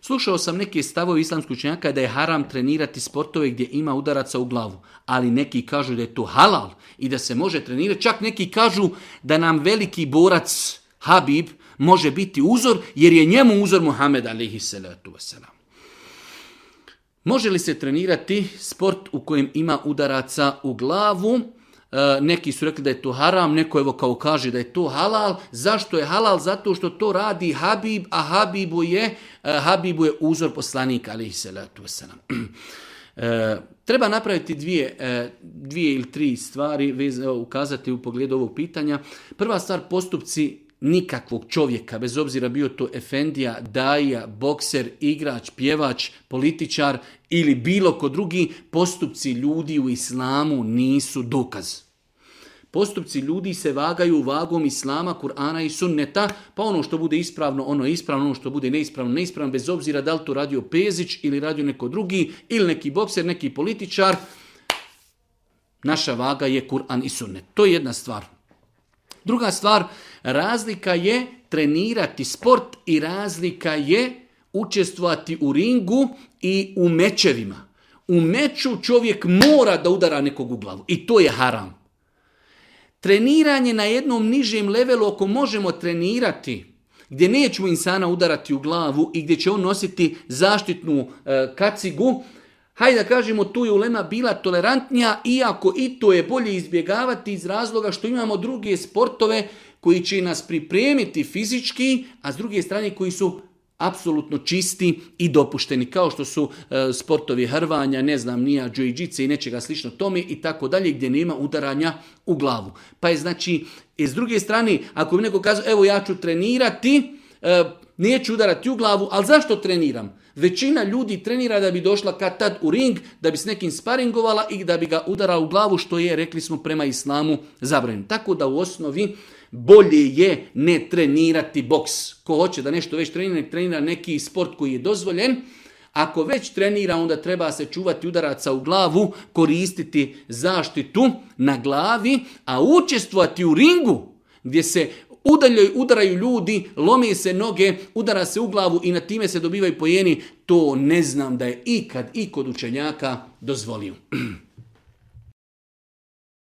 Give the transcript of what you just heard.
Slušao sam neke stavove islamskih učenjaka da je haram trenirati sportove gdje ima udaraca u glavu, ali neki kažu da je to halal i da se može trenirati. Čak neki kažu da nam veliki borac Habib može biti uzor, jer je njemu uzor Muhammed alejhi salatu vesselam. Može li se trenirati sport u kojem ima udaraca u glavu? Neki su rekli da je to haram, neko evo kao kaže da je to halal. Zašto je halal? Zato što to radi Habib, a Habibu je uzor poslanika alejhi salatu vesselam. Treba napraviti dvije ili tri stvari, ukazati u pogledu ovog pitanja. Prva stvar, postupci nikakvog čovjeka, bez obzira bio to efendija, daija, bokser, igrač, pjevač, političar ili bilo ko drugi, postupci ljudi u islamu nisu dokaz. Postupci ljudi se vagaju vagom islama, Kur'ana i sunneta, pa ono što bude ispravno, ono je ispravno, ono što bude neispravno, neispravno, bez obzira da li to radio Pezić ili radio neko drugi, ili neki bokser, neki političar. Naša vaga je Kur'an i sunnet. To je jedna stvar. Druga stvar, razlika je trenirati sport i razlika je učestvovati u ringu i u mečevima. U meču čovjek mora da udara nekog u glavu i to je haram. Treniranje na jednom nižem levelu, ako možemo trenirati, gdje nećemo insana udarati u glavu i gdje će on nositi zaštitnu kacigu, hajde da kažemo, tu je ulema bila tolerantnija, iako i to je bolje izbjegavati iz razloga što imamo druge sportove koji će nas pripremiti fizički, a s druge strane koji su apsolutno čisti i dopušteni, kao što su sportovi hrvanja, džujiđice i nečega slično tome i tako dalje, gdje nema udaranja u glavu. Pa je znači, s druge strane, ako bi neko kazao, evo ja ću trenirati, neću udarati u glavu, ali zašto treniram? Većina ljudi trenira da bi došla kad tad u ring, da bi s nekim sparingovala i da bi ga udarala u glavu, što je, rekli smo, prema islamu zabranjeno. Tako da u osnovi bolje je ne trenirati boks. Ko hoće da nešto već trenira neki sport koji je dozvoljen. Ako već trenira, onda treba se čuvati udaraca u glavu, koristiti zaštitu na glavi, a učestvovati u ringu gdje se udaraju ljudi, lome se noge, udara se u glavu i na time se dobivaju poeni, to ne znam da je ikad i kod učenjaka dozvolio.